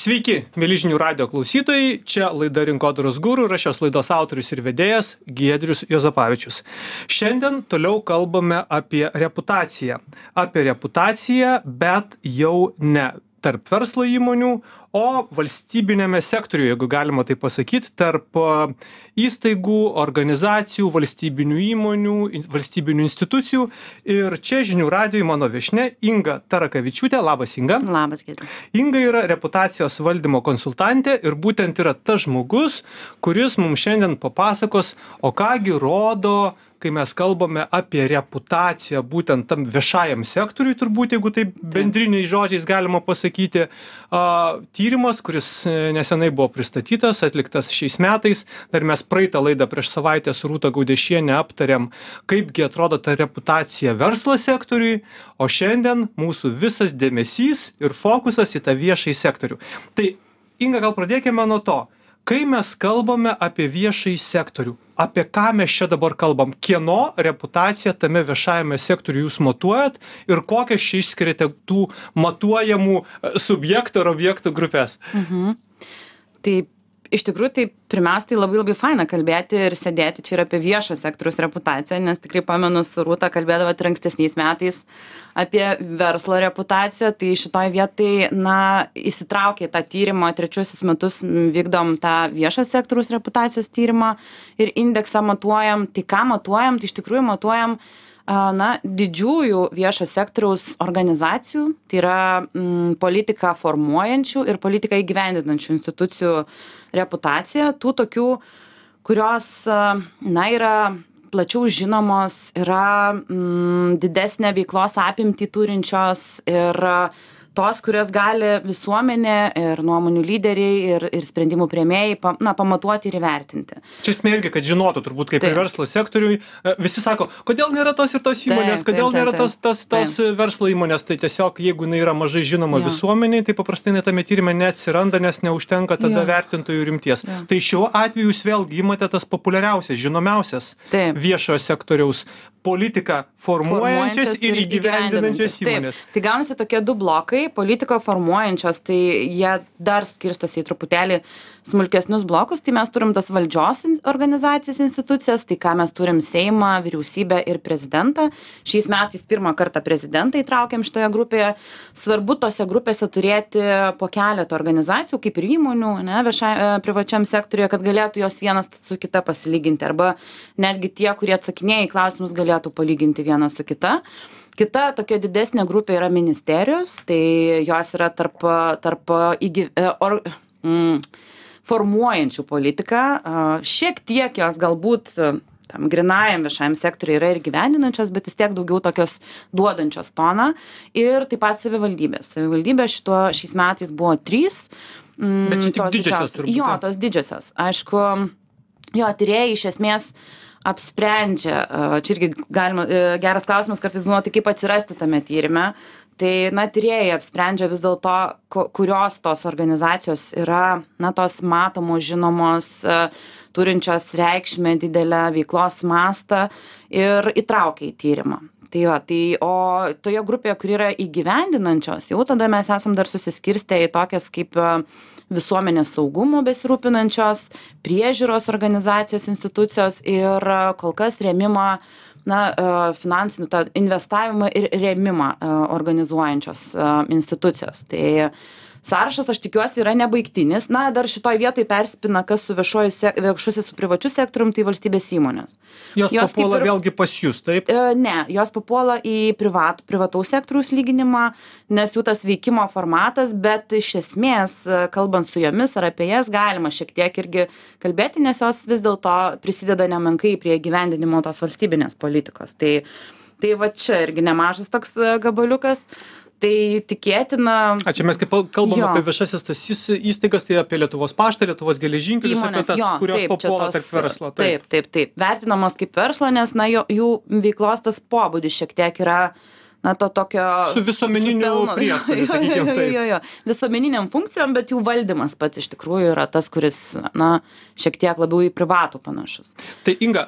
Sveiki, mėly žinių radijo klausytojai, čia laida Rinkodaros guru ir aš šios laidos autorius ir vedėjas Giedrius Juozapavičius. Šiandien toliau kalbame apie reputaciją. Apie reputaciją, bet jau ne tarp verslo įmonių, o valstybinėme sektoriuje, jeigu galima tai pasakyti, tarp įstaigų, organizacijų, valstybinių įmonių, valstybinių institucijų. Ir čia žinių radijoje mano viešnia Inga Tarakavičiūtė. Labas, Inga. Labas, Giedrius. Inga yra reputacijos valdymo konsultantė ir būtent yra tas žmogus, kuris mums šiandien papasakos, o kągi rodo, kai mes kalbame apie reputaciją būtent tam viešajam sektoriui, turbūt, jeigu taip bendriniais žodžiais galima pasakyti, tyrimas, kuris nesenai buvo pristatytas, atliktas šiais metais. Dar mes praeitą laidą prieš savaitę su Rūta Gaudiešiene aptarėm, kaipgi atrodo ta reputacija verslo sektoriui, o šiandien mūsų visas dėmesys ir fokusas į tą viešąjį sektorių. Tai, Inga, gal pradėkime nuo to. Kai mes kalbame apie viešąjį sektorių, apie ką mes čia dabar kalbam, kieno reputaciją tame viešajame sektoriuje jūs matuojat ir kokias čia išskiriate tų matuojamų subjektų ar objektų grupės? Tai iš tikrųjų, tai pirmiausia, tai labai faina kalbėti ir sėdėti čia ir apie viešo sektoriaus reputaciją, nes tikrai pamenu su Rūta kalbėdavo ir ankstesniais metais apie verslo reputaciją, tai šitoj vietai, įsitraukė tą tyrimą, 3 metus vykdom tą viešo sektoriaus reputacijos tyrimą ir indeksą matuojam. Tai ką matuojam? Tai iš tikrųjų matuojam didžiųjų viešo sektoriaus organizacijų, tai yra politiką formuojančių ir politiką įgyvendinančių institucijų reputacija, tų tokių, kurios yra plačiau žinomos, yra didesnę veiklos apimtį turinčios ir tos, kurias gali visuomenė ir nuomonių lyderiai ir sprendimų priėmėjai pamatuoti ir įvertinti. Čia esmė irgi, kad žinotų turbūt kaip ir verslo sektoriui. Visi sako, kodėl nėra tos ir tos įmonės, kodėl nėra tos verslo įmonės. Tai tiesiog, jeigu jinai yra mažai žinoma visuomeniai, tai paprastai tame tyrime neatsiranda, nes neužtenka tada vertintojų rimties. Tai šiuo atveju jūs vėlgi imate tas populiariausias, žinomiausias viešojo sektoriaus politiką formuojančias ir įgyvendinančias įmonės. Tai gaunasi tokie 2 blokai. Politiką formuojančios, tai jie dar skirstosi į truputėlį smulkesnius blokus. Tai mes turim tas valdžios organizacijas, institucijas, tai ką mes turim Seimą, vyriausybę ir prezidentą. Šiais metais pirmą kartą prezidentą įtraukėm šitoje grupėje. Svarbu tose grupėse turėti po keletą organizacijų, kaip ir įmonių, privačiam sektoriuje, kad galėtų jos vienas su kita pasilyginti, arba netgi tie, kurie atsakinėja į klausimus, galėtų palyginti vieną su kita. Kita tokia didesnė grupė yra ministerijos, tai jos yra tarp formuojančių politiką. Šiek tiek jos galbūt tam grinajam viešajam sektoriui yra ir gyvendinančios, bet vis tiek daugiau tokios duodančios toną. Ir taip pat savivaldybės. Savivaldybės šiais metais buvo 3. Bet čia tik didžiosios turbūt. Jo, tos didžiosios. Aišku, tyrėjai iš esmės apsprendžia, čia irgi geras klausimas kartais būna, tai kaip atsirasti tame tyrime. Tai, tyrėjai apsprendžia vis dėlto, kurios tos organizacijos yra, tos matomos, žinomos, turinčios reikšmę didelę veiklos mastą ir įtraukia į tyrimą. O toje grupėje, kur yra įgyvendinančios, jau tada mes esam dar susiskirstę į tokias kaip visuomenės saugumo besirūpinančios, priežiūros organizacijos, institucijos ir kol kas rėmimą, finansinių investavimą ir rėmimą organizuojančios institucijos. Tai sąrašas, aš tikiuosi, yra nebaigtinis. Dar šitoj vietoj persipina, kas su viešusis su privačiu sektorium, tai valstybės įmonės. Jos papuola vėlgi pas jūs, taip? Ne, jos papuola į privataus sektoriaus lyginimą, nes jų tas veikimo formatas, bet iš esmės, kalbant su jomis ar apie jas, galima šiek tiek irgi kalbėti, nes jos vis dėlto prisideda nemenkai prie gyvendinimo tos valstybinės politikos. Tai va čia irgi nemažas toks gabaliukas. Tai tikėtina. Čia mes kaip kalbam apie viešasis tas įstaigas, tai apie Lietuvos paštą, Lietuvos geležinkelius, apie tas, kurios papuola tarp verslo. Taip. Vertinamos kaip verslo, nes jų veiklos tas pobūdis šiek tiek yra na, to tokio... Su visuomeniniu prieskoniu, sakykime taip. Jo. Visuomeniniam funkcijom, bet jų valdymas pats iš tikrųjų yra tas, kuris, na, šiek tiek labiau į privatų panašus. Tai Inga,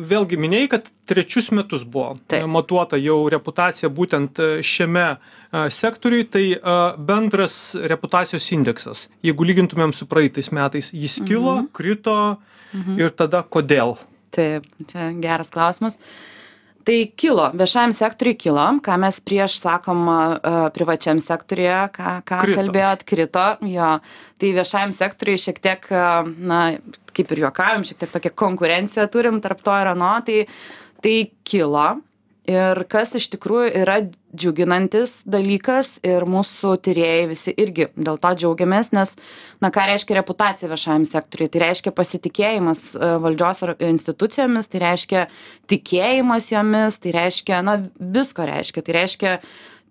vėlgi minėjai, kad 3 metus buvo matuota jau reputacija būtent šiame sektoriui, tai bendras reputacijos indeksas, jeigu lygintumėm su praeitais metais, jis kilo, krito ir tada kodėl? Taip, čia geras klausimas. Tai kilo, viešajam sektoriui kilo, ką mes prieš sakom privačiam sektoriuje, ką kalbėjot, krito, jo. Tai viešajam sektoriui šiek tiek, na, kaip ir juokavim, šiek tiek tokią konkurenciją turim tarp to ir ano, tai kilo. Ir kas iš tikrųjų yra džiuginantis dalykas ir mūsų tyrėjai visi irgi dėl to džiaugiamės, nes, na, ką reiškia reputacija viešajam sektoriui? Tai reiškia pasitikėjimas valdžios institucijomis, tai reiškia tikėjimas jomis, tai reiškia, na, visko reiškia. Tai reiškia,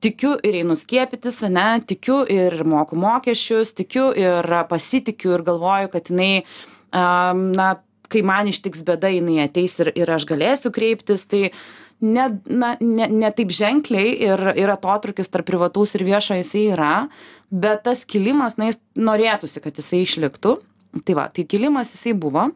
tikiu ir einu skiepytis, ne, tikiu ir moku mokesčius, tikiu ir pasitikiu ir galvoju, kad jinai, na, kai man ištiks bėda, jinai ateis ir aš galėsiu kreiptis, tai ne taip ženkliai ir atotrūkis tarp privataus ir viešo jisai yra, bet tas kilimas, na, jis norėtųsi, kad jisai išliktų. Tai va, tai kilimas jisai buvo.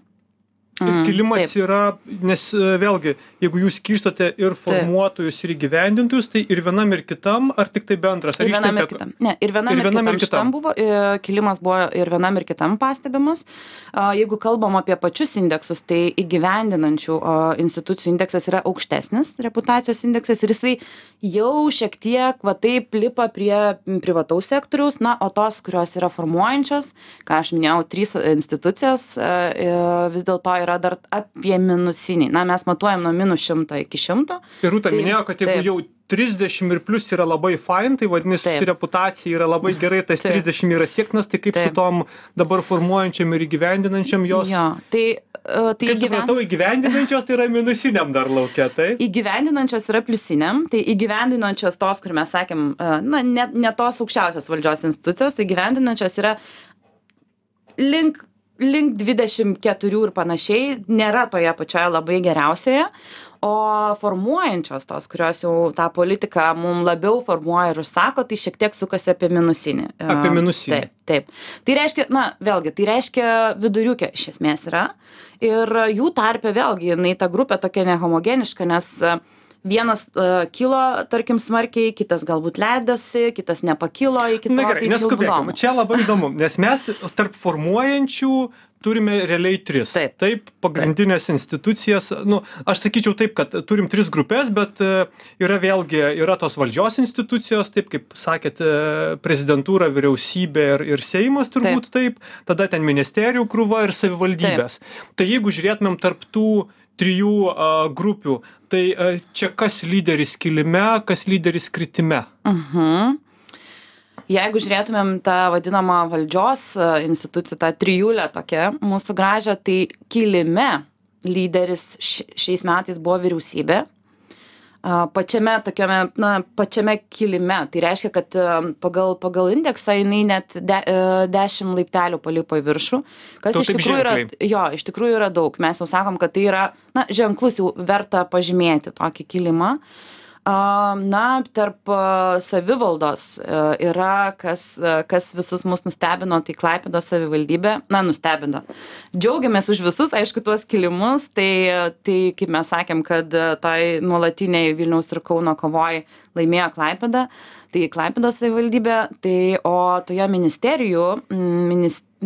Ir kilimas yra, nes vėlgi, jeigu jūs skirstate ir formuotojus, ir įgyvendintojus, tai ir vienam ir kitam, ar tik tai bendras? Ir vienam ir kitam. Ne, ir vienam ir kitam buvo, kilimas buvo ir vienam ir kitam pastebimas. Jeigu kalbam apie pačius indeksus, tai įgyvendinančių institucijų indeksas yra aukštesnis, reputacijos indeksas, ir jisai jau šiek tiek, va taip, lipa prie privataus sektoriaus, na, o tos, kurios yra formuojančios, ką aš minėjau, 3 institucijos, vis dėlto yra dar apie minusinį. Na, mes matuojam nuo -100 iki 100. Ir Rūta minėjo, kad jeigu jau 30 ir plus yra labai fine, tai vadinasi, reputacija yra labai gerai, tas 30 yra siektinas, tai kaip su tom dabar formuojančiam ir įgyvendinančiam jos... Jo, tai kaip supratau, įgyvendinančios tai yra minusiniam dar laukia, tai? Įgyvendinančios yra pliusiniam, tai įgyvendinančios tos, kur mes sakėm, na, ne tos aukščiausios valdžios institucijos, tai įgyvendinančios yra link 24 ir panašiai, nėra toje pačioje labai geriausioje, o formuojančios tos, kurios jau tą politiką mums labiau formuoja ir užsako, tai šiek tiek sukasi apie minusinį. Apie minusinį. Taip. Tai reiškia, na, vėlgi, tai reiškia viduriukė iš esmės yra. Ir jų tarpe vėlgi, jinai ta grupė tokia nehomogeniška, nes vienas kilo, tarkim, smarkiai, kitas galbūt leidosi, kitas nepakilo iki to. Na gerai, neskubėkim. Čia labai įdomu, nes mes tarp formuojančių turime realiai 3. Taip, pagrindinės institucijas, nu, aš sakyčiau taip, kad turim 3 grupės, bet yra tos valdžios institucijos, taip kaip sakėt, prezidentūra, vyriausybė ir Seimas turbūt taip, tada ten ministerijų krūva ir savivaldybės. Tai jeigu žiūrėtumėm tarp tų 3 grupių, tai čia kas lyderis kilime, kas lyderis kritime? Jeigu žiūrėtumėm tą vadinamą valdžios institucijų, tą trijulę tokia mūsų gražią, tai kilime lyderis šiais metais buvo vyriausybė. Pačiame tokiame, na, pačiame kilime. Tai reiškia, kad pagal indeksą jinai net 10 laiptelių palipo į viršų, kas iš tikrųjų yra, iš tikrųjų yra daug. Mes jau sakom, kad tai yra, na, ženklus, jau verta pažymėti tokį kilimą. Na, tarp savivaldos yra, kas visus mus nustebino, tai Klaipėdos savivaldybė, na, nustebino. Džiaugiamės už visus, aišku, tuos kilimus, tai kaip mes sakėm, kad tai nuolatiniai Vilniaus ir Kauno kovoj laimėjo Klaipėda, tai Klaipėdos savivaldybė, tai o toje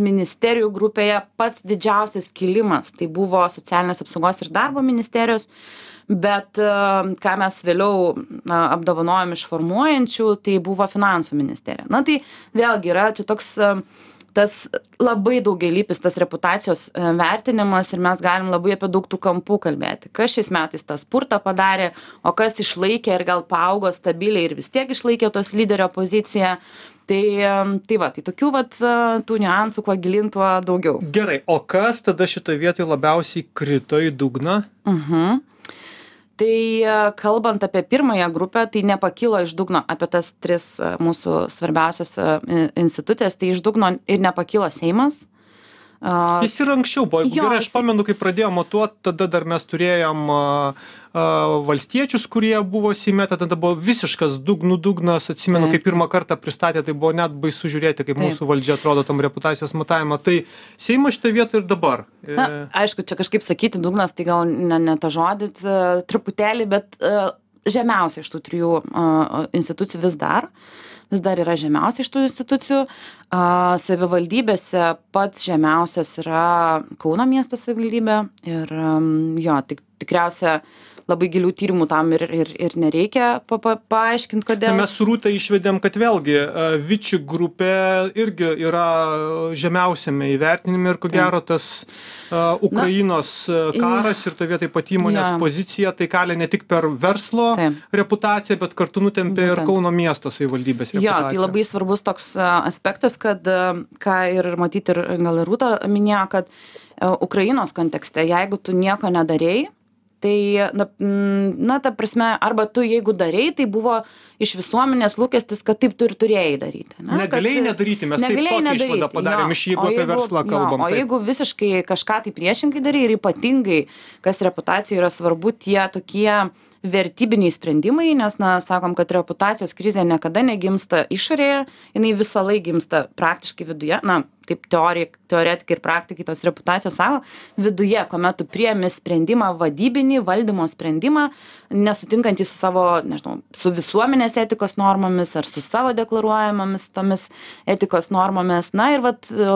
ministerijų grupėje pats didžiausias kilimas, tai buvo socialinės apsaugos ir darbo ministerijos, bet ką mes vėliau apdovanojom iš formuojančių, tai buvo finansų ministerija. Na tai vėlgi yra čia toks tas labai daugialypis tas reputacijos vertinimas ir mes galim labai apie daug tų kampų kalbėti. Kas šiais metais tą spurtą padarė, o kas išlaikė ir gal paaugo stabiliai ir vis tiek išlaikė tos lyderio poziciją. Tai tokių tų niuansų, kuo gilin, tuo daugiau. Gerai, o kas tada šitoje vietoje labiausiai krito į dugną? Tai kalbant apie pirmąją grupę, tai nepakilo iš dugno apie tas 3 mūsų svarbiausias institucijas, tai iš dugno ir nepakilo Seimas, Jis ir anksčiau buvo, jeigu gerai, aš pamenu, kai pradėjom matuoti, tada dar mes turėjom valstiečius, kurie buvo Seime, tada buvo visiškas dugnas, atsimenu, kai pirmą kartą pristatė, tai buvo net baisu žiūrėti, kaip mūsų valdžia atrodo tam reputacijos matavimą. Tai Seimas šitą vietą ir dabar. Na, aišku, čia kažkaip sakyti dugnas, tai gal ne tą žodį truputėlį, bet žemiausia iš tų trijų institucijų vis dar yra žemiausia iš tų institucijų. Savivaldybėse pats žemiausias yra Kauno miesto savivaldybė ir tikriausia labai gilių tyrimų tam ir nereikia paaiškinti, kodėl. Mes su Rūta išvedėm, kad vėlgi Viči grupė irgi yra žemiausiame įvertinime ir ko gero tas Ukrainos karas ir to vietai pat įmonės pozicija, tai kalia ne tik per verslo reputaciją, bet kartu nutempė ir Kauno miesto savivaldybės reputaciją. Jo, tai labai svarbus toks aspektas, kad ką ir matyti ir gal ir Rūta minėjo, kad Ukrainos kontekste, jeigu tu nieko nedarei, tai, ta prasme, arba tu jeigu darei, tai buvo iš visuomenės lūkestis, kad taip tu ir turėjai daryti. Negalėjai nedaryti, mes taip tokią išvadą padarėm, jeigu apie verslą kalbam. O jeigu visiškai kažką tai priešingai darai ir ypatingai, kas reputacijoje yra svarbu, tie tokie vertybiniai sprendimai, nes, sakom, kad reputacijos krizė niekada negimsta išorėje, jinai visą laiką gimsta praktiškai viduje, taip teoretikai ir praktikai tos reputacijos sako, viduje, kuomet tu priemi sprendimą, vadybinį, valdymo sprendimą, nesutinkantį su savo, nežinau, su visuomenės etikos normomis ar su savo deklaruojamomis tomis etikos normomis. Ir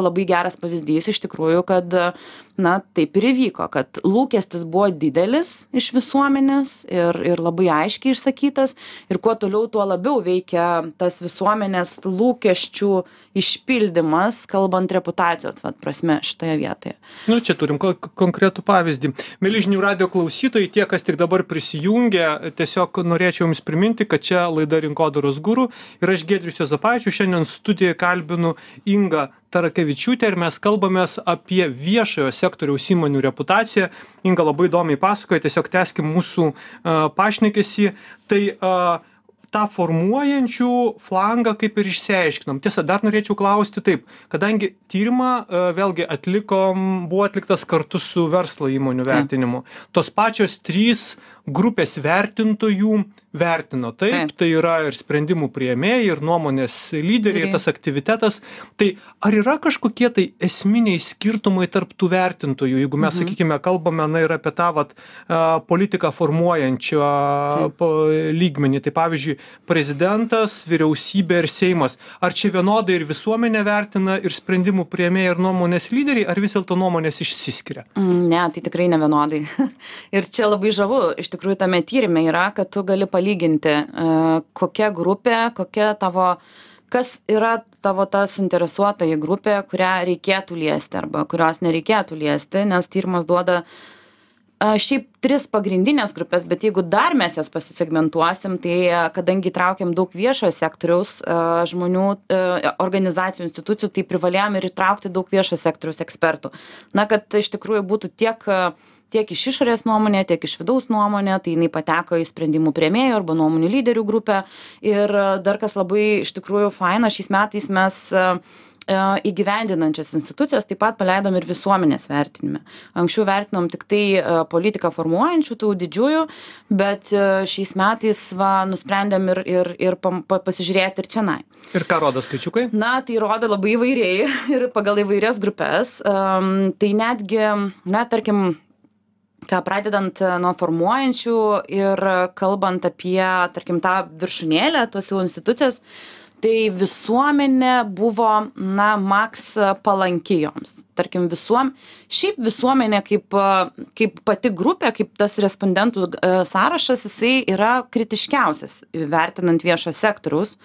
labai geras pavyzdys iš tikrųjų, kad taip ir įvyko, kad lūkestis buvo didelis iš visuomenės ir labai aiškiai išsakytas ir kuo toliau, tuo labiau veikia tas visuomenės lūkesčių išpildymas, kalbant reputacijos prasme šitoje vietoje. Čia turim konkretų pavyzdį. Mieli žinių radijo klausytojai, tie, kas tik dabar prisijungia, tiesiog norėčiau jums priminti, kad čia laida Rinkodaros guru ir aš Giedrius Juozapavičius, šiandien studijoje kalbinu Ingą Tarakevičiūtę ir mes kalbamės apie viešojo sektoriaus įmonių reputaciją. Inga labai įdomiai pasakoja, tiesiog tęskim mūsų pašnekesį. Tai tą formuojančių flangą kaip ir išsiaiškinom. Tiesa, dar norėčiau klausti taip, kadangi tyrimą vėlgi buvo atliktas kartu su verslo įmonių vertinimu. Tos pačios 3 grupės vertintojų vertino. Taip, tai yra ir sprendimų priėmėjai, ir nuomonės lyderiai, tas aktivitetas. Tai ar yra kažkokie tai esminiai skirtumai tarp tų vertintojų, jeigu mes, sakykime, kalbame ir apie tą politiką formuojančią lygmenį. Tai pavyzdžiui, prezidentas, vyriausybė ir Seimas. Ar čia vienodai ir visuomenė vertina, ir sprendimų priėmėjai, ir nuomonės lyderiai, ar vis dėlto nuomonės išsiskiria? Ne, tai tikrai ne vienodai. Ir čia labai žavu, iš tikrųjų tame tyrime yra, kad tu gali palyginti, kokia grupė, kas yra tavo ta suinteresuotoji grupė, kurią reikėtų liesti arba kurios nereikėtų liesti, nes tyrimas duoda šiaip 3 pagrindinės grupės, bet jeigu dar mes jas pasisegmentuosim, tai kadangi traukiam daug viešojo sektoriaus žmonių, organizacijų, institucijų, tai privalėjom ir įtraukti daug viešojo sektoriaus ekspertų. Kad iš tikrųjų būtų tiek iš išorės nuomonė, tiek iš vidaus nuomonė, tai jinai pateko į sprendimų priėmėjų arba nuomonių lyderių grupę. Ir dar kas labai iš tikrųjų faina, šiais metais mes įgyvendinančias institucijas taip pat paleidom ir visuomenės vertinime. Anksčiau vertinom tik tai politiką formuojančių, tų didžiųjų, bet šiais metais nusprendėm ir pasižiūrėti ir čionai. Ir ką rodo skaičiukai? Tai rodo labai įvairiai ir pagal įvairias grupės. Tai netgi, tarkim, pradedant nuo formuojančių ir kalbant apie, tarkim, tą viršūnėlę, tuos jau institucijas, tai visuomenė buvo, maks palanki joms. Tarkim, šiaip visuomenė kaip pati grupė, kaip tas respondentų sąrašas, jisai yra kritiškiausias, vertinant viešo sektoriaus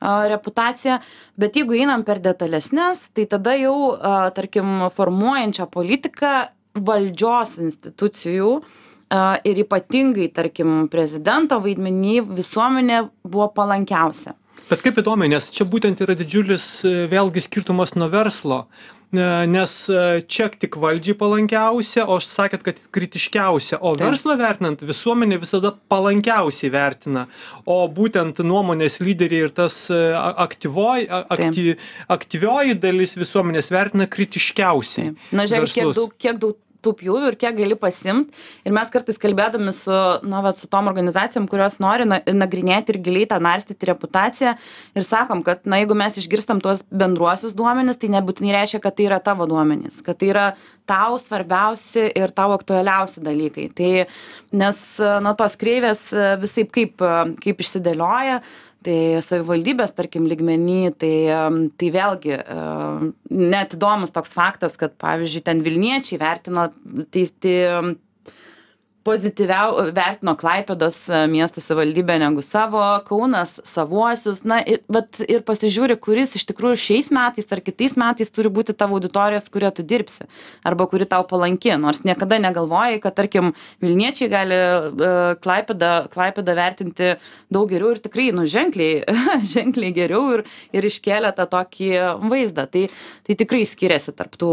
reputaciją. Bet jeigu einam per detalesnes, tai tada jau, tarkim, formuojančią politiką valdžios institucijų ir ypatingai, tarkim, prezidento vaidmenį visuomenė buvo palankiausia. Bet kaip įdomu, nes čia būtent yra didžiulis vėlgi skirtumas nuo verslo. nes čia tik valdžiai palankiausia, o aš sakėt, kad kritiškiausia, o verslą vertinant visuomenė visada palankiausiai vertina, o būtent nuomonės lyderiai ir tas aktyvioji dalis visuomenės vertina kritiškiausiai. Na, žiūrėk, kiek daug tų pjūvių ir kiek gali pasiimt. Ir mes kartais kalbėdami su tom organizacijom, kurios nori nagrinėti ir giliai tą narstyti reputaciją ir sakom, kad jeigu mes išgirstam tuos bendruosius duomenis, tai nebūtinai reiškia, kad tai yra tavo duomenys, kad tai yra tau svarbiausi ir tau aktualiausi dalykai. Tai, nes tos kreivės visaip kaip išsidėlioja, tai savivaldybės, tarkim, lygmenį, tai vėlgi net įdomus toks faktas, kad, pavyzdžiui, ten Vilniečiai vertino pozityviau vertino Klaipėdos miesto savivaldybę negu savo, Kaunas savuosius, ir pasižiūri, kuris iš tikrųjų šiais metais ar kitais metais turi būti tavo auditorijos, kurie tu dirbsi, arba kuri tau palanki, nors niekada negalvojai, kad, tarkim, Vilniečiai gali Klaipėdą vertinti daug geriau ir tikrai, ženkliai geriau ir iškėlė tą tokį vaizdą. Tai tikrai skiriasi tarp tų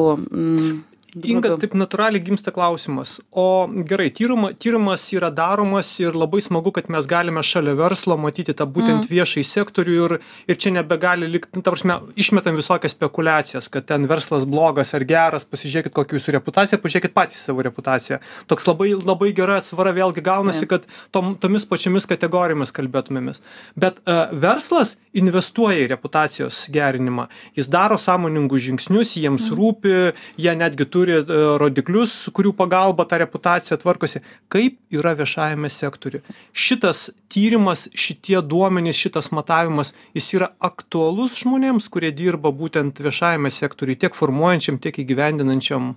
Inga, taip natūraliai gimsta klausimas. O gerai, tyrimas yra daromas ir labai smagu, kad mes galime šalia verslo matyti tą būtent viešai sektorių ir čia nebegali likti, ta prasme, išmetam visokias spekulacijas, kad ten verslas blogas ar geras, pasižiūrėkit kokią jūsų reputaciją, pažiūrėkit patys savo reputaciją. Toks labai gera atsvara vėlgi gaunasi, kad tomis pačiomis kategorijomis kalbėtumėmis. Bet verslas investuoja į reputacijos gerinimą. Jis daro sąmoningus žingsnius, jiems rūpi, jie netgi turi rodiklius, kurių pagalba ta reputacija tvarkosi. Kaip yra viešajame sektoriuje? Šitas tyrimas, šitie duomenys, šitas matavimas, jis yra aktualus žmonėms, kurie dirba būtent viešajame sektoriuje, tiek formuojančiam, tiek įgyvendinančiam?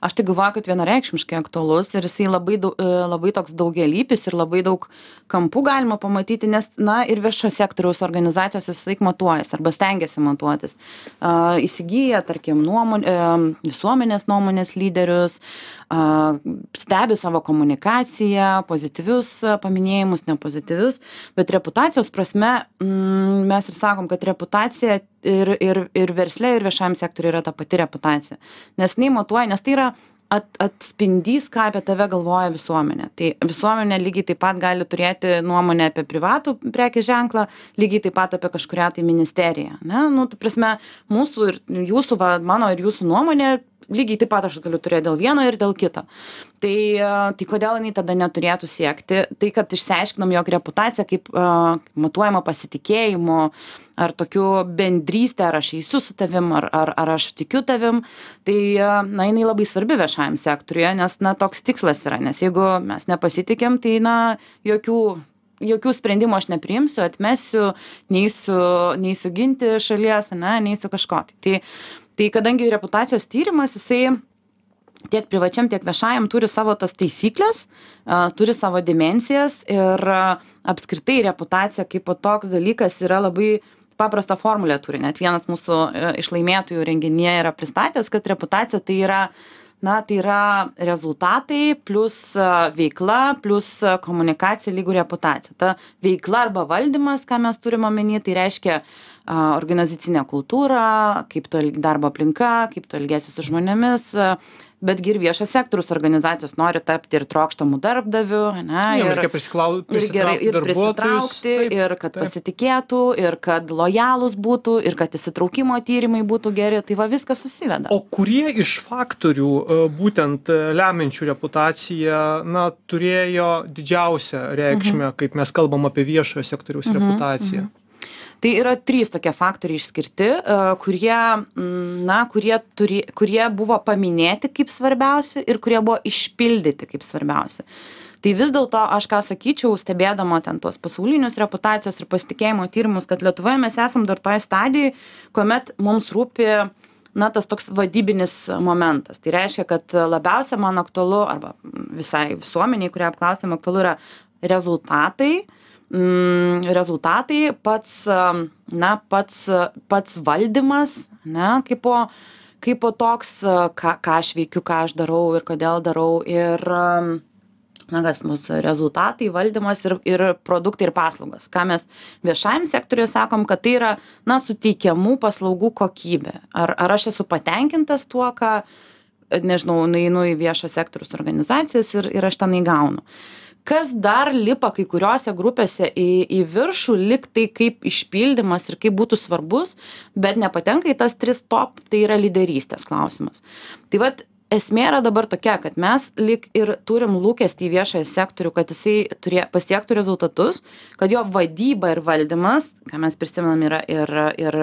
Aš tai galvoju, kad vienareikšmiškai aktualus ir jisai labai toks daugialypis ir labai daug kampų galima pamatyti, nes, ir viešo sektoriaus organizacijos visąlaik matuojas arba stengiasi matuotis. Įsigyja, tarkim, visuomenės nuomonės lyderius, stebi savo komunikaciją, pozityvius paminėjimus, nepozityvius, bet reputacijos prasme mes ir sakom, kad reputacija ir versle, ir viešajam sektoriui yra ta pati reputacija. Nes matuoja, nes tai yra atspindys, ką apie tave galvoja visuomenė. Tai visuomenė lygiai taip pat gali turėti nuomonę apie privatų prekės ženklą, lygiai taip pat apie kažkurią tai ministeriją. Tai prasme, mūsų ir jūsų, mano ir jūsų nuomonė, lygiai taip pat aš galiu turėti dėl vieno ir dėl kito. Tai kodėl jinai tada neturėtų siekti? Tai, kad išsiaiškinom, jog reputacija kaip matuojama pasitikėjimu, ar tokiu bendrystė, ar aš eisiu su tavim, ar aš tikiu tavim, tai jinai labai svarbi viešajam sektoriuje, nes toks tikslas yra, nes jeigu mes nepasitikėm, tai jokių sprendimų aš nepriimsiu, atmesiu, neįsiu ginti šalies, neįsiu kažko. Tai kadangi reputacijos tyrimas, jisai tiek privačiam, tiek viešajam turi savo tas taisyklės, turi savo dimensijas ir apskritai reputacija kaip toks dalykas yra labai paprastą formulę turi. Net vienas mūsų iš laimėtojų renginyje yra pristatęs, kad reputacija tai yra rezultatai plus veikla plus komunikacija lygų reputacija. Ta veikla arba valdymas, ką mes turime omeny, tai reiškia organizacinė kultūra, kaip tu darbo aplinka, kaip tu elgiesi su žmonėmis, betgi ir viešas sektorius organizacijos nori tapti ir trokštamų darbdavių, ir prisitraukti, ir kad pasitikėtų, ir kad lojalūs būtų, ir kad įsitraukimo tyrimai būtų geri, tai viskas susiveda. O kurie iš faktorių, būtent lemiančių reputaciją, turėjo didžiausią reikšmę, kaip mes kalbam apie viešojo sektoriaus reputaciją? Tai yra 3 tokie faktoriai išskirti, kurie buvo paminėti kaip svarbiausi ir kurie buvo išpildyti kaip svarbiausi. Tai vis dėlto aš ką sakyčiau, stebėdama ten tuos pasaulinius reputacijos ir pasitikėjimo tyrimus, kad Lietuvoje mes esam dar toje stadijoje, kuomet mums rūpi tas toks vadybinis momentas. Tai reiškia, kad labiausia man aktualu, arba visai visuomeniai, kurie apklausėme, aktualu yra rezultatai, pats valdymas, kaip po toks, ką aš veikiu, ką aš darau ir kodėl darau. Ir na, kas mūsų rezultatai, valdymas ir produktai ir paslaugos. Ką mes viešajam sektoriuje sakom, kad tai yra, na, suteikiamų paslaugų kokybė. Ar aš esu patenkintas tuo, ką, nežinau, nueinu į viešo sektoriaus organizacijas ir aš tenai gaunu. Kas dar lipa kai kuriuose grupėse į viršų, lyg tai kaip išpildymas ir kaip būtų svarbus, bet nepatenka į tas 3 top, tai yra lyderystės klausimas. Tai vat, esmė yra dabar tokia, kad mes lyg ir turim lūkestį į viešąjį sektorių, kad jisai pasiektų rezultatus, kad jo vadyba ir valdymas, ką mes prisimenam, yra ir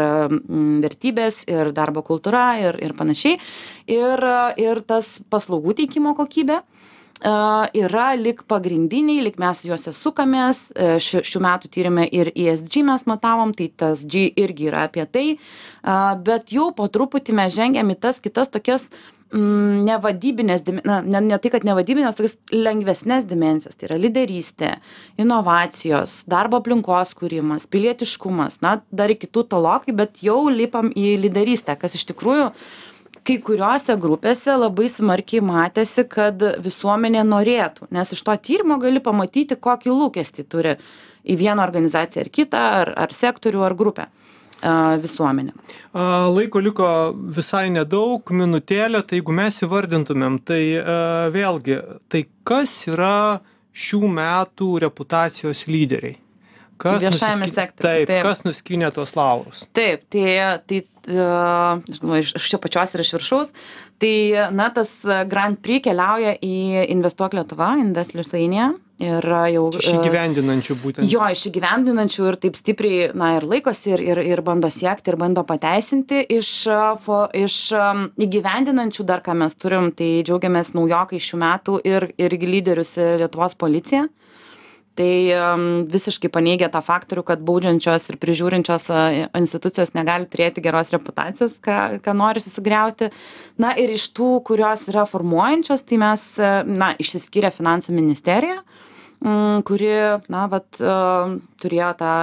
vertybės, ir darbo kultūra, ir panašiai, ir tas paslaugų teikimo kokybė yra lyg pagrindiniai, lyg mes juose sukamės. Šių metų tyrime ir ESG mes matavom, tai tas G irgi yra apie tai, bet jau po truputį mes žengiam į tas kitas tokias nevadybinės, ne tai, kad nevadybinės, tokias lengvesnės dimensijas, tai yra lyderystė, inovacijos, darbo aplinkos kūrimas, pilietiškumas, na, dar iki tų tolokai, bet jau lipam į lyderystę, kas iš tikrųjų kai kuriuose grupėse labai smarkiai matėsi, kad visuomenė norėtų, nes iš to tyrimo gali pamatyti, kokį lūkestį turi į vieną organizaciją ar kitą, ar sektorių, ar grupę visuomenė. Laiko liko visai nedaug, minutėlė, tai jeigu mes įvardintumėm, tai vėlgi, tai kas yra šių metų reputacijos lyderiai? Viešajame sektoriuje. Taip, kas nuskynė tuos laurus? Taip, tai iš čia pačios ir iš viršaus, tai, na, tas Grand Prix keliauja į Investuok Lietuva, Invest Lithuania. Ir jau iš įgyvendinančių būtent. Jo, iš įgyvendinančių ir taip stipriai, na, ir laikosi, ir bando siekti, ir bando pateisinti. Iš įgyvendinančių dar, ką mes turim, tai džiaugiamės naujokai šių metų ir lyderius Lietuvos policija. Tai visiškai paneigia tą faktorių, kad baudžiančios ir prižiūrinčios institucijos negali turėti geros reputacijos, ką nori susigriauti. Na ir iš tų, kurios yra formuojančios, tai mes, na, išsiskyrė Finansų ministerija, kuri, na, turėjo tą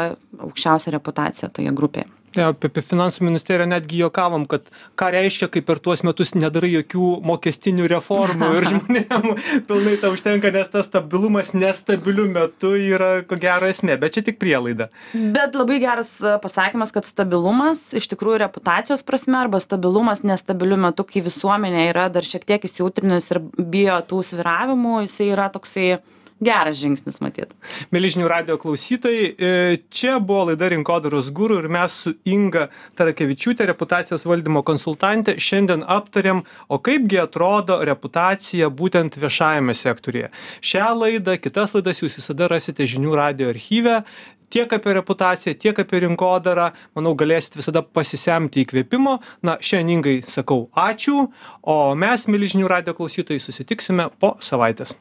aukščiausią reputaciją toje grupėje. Apie Finansų ministeriją netgi juokavom, kad ką reiškia, kai per tuos metus nedarai jokių mokestinių reformų ir žmonėm pilnai tą užtenka, nes tas stabilumas nestabiliu metu yra ko gero esmė, bet čia tik prielaida. Bet labai geras pasakymas, kad stabilumas iš tikrųjų reputacijos prasme arba stabilumas nestabiliu metu, kai visuomenė yra dar šiek tiek įsijautrinus ir bijo tų svyravimų, jisai yra toksai geras žingsnis, matyt. Mieli žinių radijo klausytojai, čia buvo laida Rinkodaros guru ir mes su Inga Tarakevičiūtė, reputacijos valdymo konsultantė, šiandien aptarėm, o kaipgi atrodo reputacija būtent viešajame sektoriuje. Šią laidą, kitas laidas jūs visada rasite žinių radijo archyve, tiek apie reputaciją, tiek apie rinkodarą. Manau, galėsit visada pasisemti įkvėpimo. Na, šiandien Ingai sakau ačiū, o mes, mieli žinių radijo klausytojai, susitiksime po savaitės.